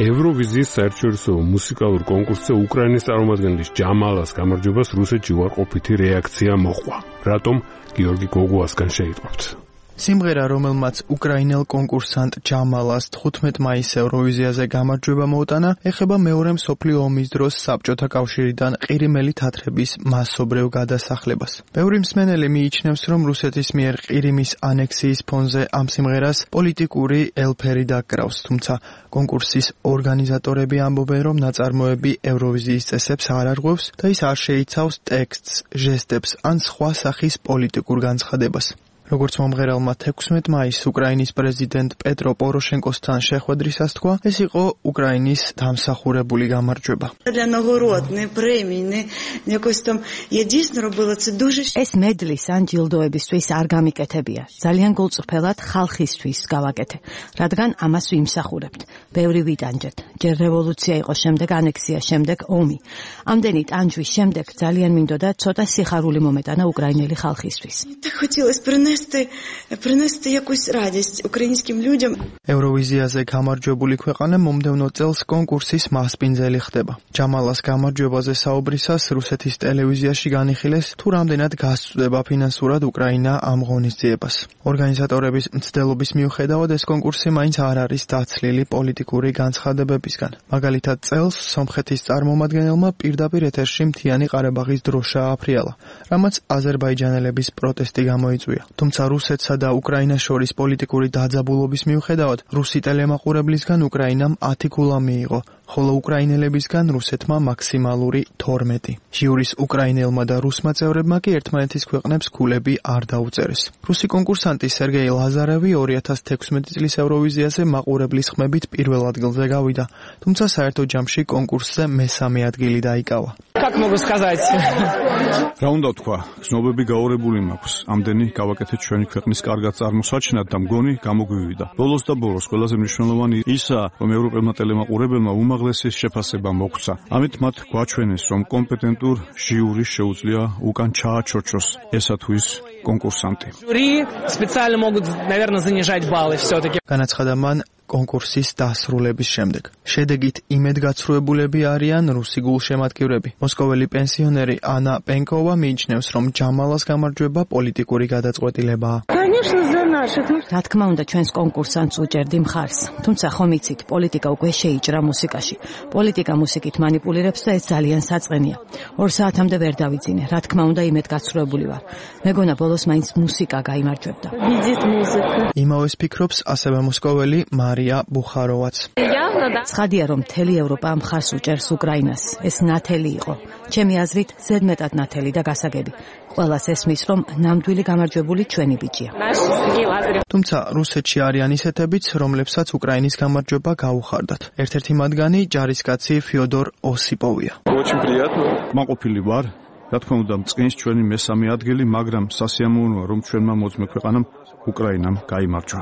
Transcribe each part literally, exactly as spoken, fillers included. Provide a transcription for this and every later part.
ევროვიზიის საერთაშორისო მუსიკალურ კონკურსზე უკრაინის წარმომადგენლის ჯამალას გამარჯვებას რუსეთში უარყოფითი რეაქცია მოჰყვა. რატომ? გიორგი გოგუასგან შეიტყვებთ. სიმღერა, რომელმაც უკრაინელ კონკურსანტ ჯამალას თხუთმეტ მაისს ევროვიზიაზე გამარჯვება მოუტანა, ეხება მეორე მსოფლიო ომის დროს საბჭოთა კავშირიდან ყირიმელი თათრების მასობრივ გადასახლებას. ბევრი მსმენელი მიიჩნევს, რომ რუსეთის მიერ ყირიმის ანექსიის ფონზე ამ სიმღერას პოლიტიკური ელფერი დაკრავს, თუმცა კონკურსის ორგანიზატორები ამბობენ, რომ ნაწარმოები ევროვიზიის წესებს არ არღვევს და ის არ შეიცავს ტექსტს, ჟესტებს ან სხვა სახის პოლიტიკურ განცხადებას. როგორც მომღერალმა თექვსმეტ მაისს უკრაინის პრეზიდენტ პეტრო პოროშენკოსთან შეხვედრისას თქვა, ეს იყო უკრაინის დამსახურებული გამარჯვება. ეს მედლის ან ჯილდოებისთვის არ გამიკეთებია. ძალიან გულწრფელად ხალხისთვის გავაკეთე, რადგან ამას ვიმსახურებთ. ბევრი ვიტანჯეთ. ჯერ რევოლუცია იყო, შემდეგ ანექსია, შემდეგ ომი. ამდენი ტანჯვის შემდეგ ძალიან მინდოდა ცოტა სიხარული მომეტანა უკრაინელი ხალხისთვის. принести якусь радість українським людям. ევროვიზიაზე გამარჯვებული ქვეყანა მომდევნო წელს კონკურსის მასპინძელი ხდება. ჯამალას გამარჯვებაზე საუბრისას რუსეთის ტელევიზიაში განიხილეს, თუ რამდენად გასწვდება ფინანსურად უკრაინა ამ ღონისძიებას. ორგანიზატორების მცდელობის მიუხედავად ეს კონკურსი მაინც არ არის დაცლილი პოლიტიკური განცხადებებისგან. მაგალითად, წელს სომხეთის წარმომადგენელმა პირდაპირ ეთერში მთიანი ყარაბაღის დროშა აფრიალა, რამაც აზერბაიჯანელების პროტესტი გამოიწვია. თუმცა რუსეთსა და უკრაინას შორის პოლიტიკური დაძაბულობის მიუხედავად, რუსი ტელემაყურებლისგან უკრაინამ ათი ქულა მიიღო, ხოლო უკრაინელებისგან რუსეთმა მაქსიმალური თორმეტი. ჟიურის უკრაინელმა და რუსმა წევრებმა კი ერთმანეთის ქვეყნებს ქულები არ დაუწერეს. რუსი კონკურსანტი სერგეი ლაზარევი ორი ათას თექვსმეტი წლის ევროვიზიაზე მაყურებლის ხმებით პირველ ადგილზე გავიდა, თუმცა საერთო ჯამში კონკურსზე მესამე ადგილი დაიკავა. Как могу сказать? რა უნდა თქვა, ცნობები გაურებული მაქვს. ამდენი გავაკეთეთ ჩვენი ქვეყნის კარგად წარმოსაჩინად და მგონი გამოგვივიდა. ბოლოს და ბოლოს ყველაზე მნიშვნელოვანი ისაა, რომ ევროპელმა ტელემაყურებელმა უმაღლესი შეფასება მოგვცა. ამით მათ გვაჩვენეს, რომ კომპეტენტურ ჟიურის შეუძლია უკან ჩააჩოჩოს ესა თუ ის კონკურსანტი. Жюри специально могут, наверное, занижать баллы все-таки. განაცხადა მან კონკურსის დასრულების შემდეგ. შედეგით იმედგაცრუებულები არიან რუსი გულშემატკივრები. მოსკოველი პენსიონერი ანა პენკოვა მიიჩნევს, რომ ჯამალას გამარჯვება პოლიტიკური გადაწყვეტილებაა. რა თქმა უნდა, ჩვენს კონკურსანტს უჭერდი მხარს. თუმცა ხომ იცით, პოლიტიკა უკვე შეიჭრა მუსიკაში. პოლიტიკა მუსიკით манипуლირებს და ეს ძალიან საწყენია. ორ საათამდე ვერ დავიძინე. რა თქმა უნდა, იმედგაცრუებული ვარ. მეგონა ბოლოს მაინც მუსიკა გაიმარჯვებდა. იმავეს ფიქრობს ასევე მოსკოველი მარია ბუხაროვაც. ცხადია, რომ მთელი ევროპა მხარს უჭერს უკრაინას. ეს ნათელი იყო. ჩემი აზრით, ზედმეტად ნათელი და გასაგები. ყველას ესმის, რომ ნამდვილი გამარჯვებული ჩვენი ბიჭია. თუმცა რუსეთში არიან ისეთებიც, რომლებსაც უკრაინის გამარჯვება გაუხარდათ. ერთ-ერთი მათგანი ჯარისკაცი ფიოდორ ოსიპოვია. მაყოფილი ვარ, რა თქმა უნდა, წყინს ჩვენი მესამე ადგილი, მაგრამ სასიამოვნოა, რომ ჩვენმა მოწმე ქვეყანამ უკრაინამ გაიმარჯვა.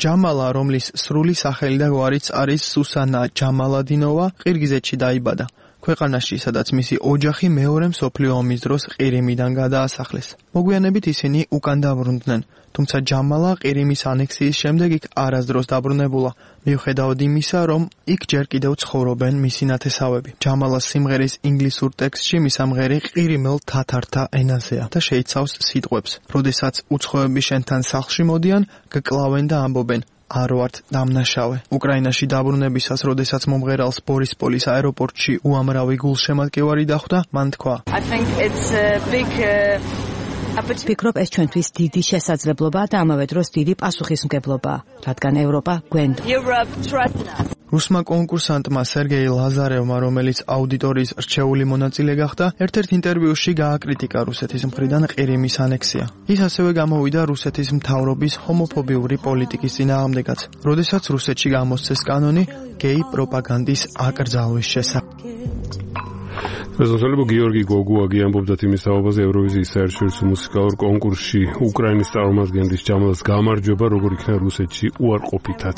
ჯამალა, რომლის სრული სახელი და გვარიც არის სუსანა ჯამალადინოვა, ყირგიზეთში დაიბადა. ქვეყანაში, სადაც მისი ოჯახი მეორე მსოფლიო ომის დროს ყირიმიდან გადაასახლეს. მოგვიანებით ისინი უკან დაბრუნდნენ, თუმცა ჯამალა ყირიმის ანექსიის შემდეგ იქ არასდროს დაბრუნებულა, მიუხედავად იმისა, რომ იქ ჯერ კიდევ ცხოვრობენ მისი ნათესავები. ჯამალას სიმღერის ინგლისურ ტექსტში მისამღერი ყირიმელ თათართა ენაზეა და შეიცავს სიტყვებს: "როდესაც უცხოები შენთან სახლში მოდიან, გკლავენ და ამბობენ: არ ვართ დამნაშავე." უკრაინაში დაბრუნებისას, როდესაც მომღერალს ბორისპოლის აეროპორტში უამრავი გულშემატკივარი დახვდა, მან თქვა: ვფიქრობ, ეს ჩვენთვის დიდი შესაძლებლობაა და ამავე დროს დიდი პასუხისმგებლობაა, რადგან ევროპა გვენდა. რუსმა კონკურსანტმა სერგეი ლაზარევმა, რომელიც აუდიტორიის რჩეული მონაწილე გახდა, ერთ-ერთ ინტერვიუში გააკრიტიკა რუსეთის მხრიდან ყირიმის ანექსია. ის ასევე გამოვიდა რუსეთის მთავრობის ჰომოფობიური პოლიტიკის წინააღმდეგაც, როდესაც რუსეთში გამოსცეს კანონი გეი პროპაგანდის აკრძალვის შესახებ. პრეზიდენტი გიორგი გოგუაგი ამბობდა იმის თაობაზე ევროვიზიის საერთაშორისო მუსიკალურ კონკურსში უკრაინის წარმომადგენლის ჯამალას გამარჯვება, როგორ იქნა რუსეთში უარყოფითად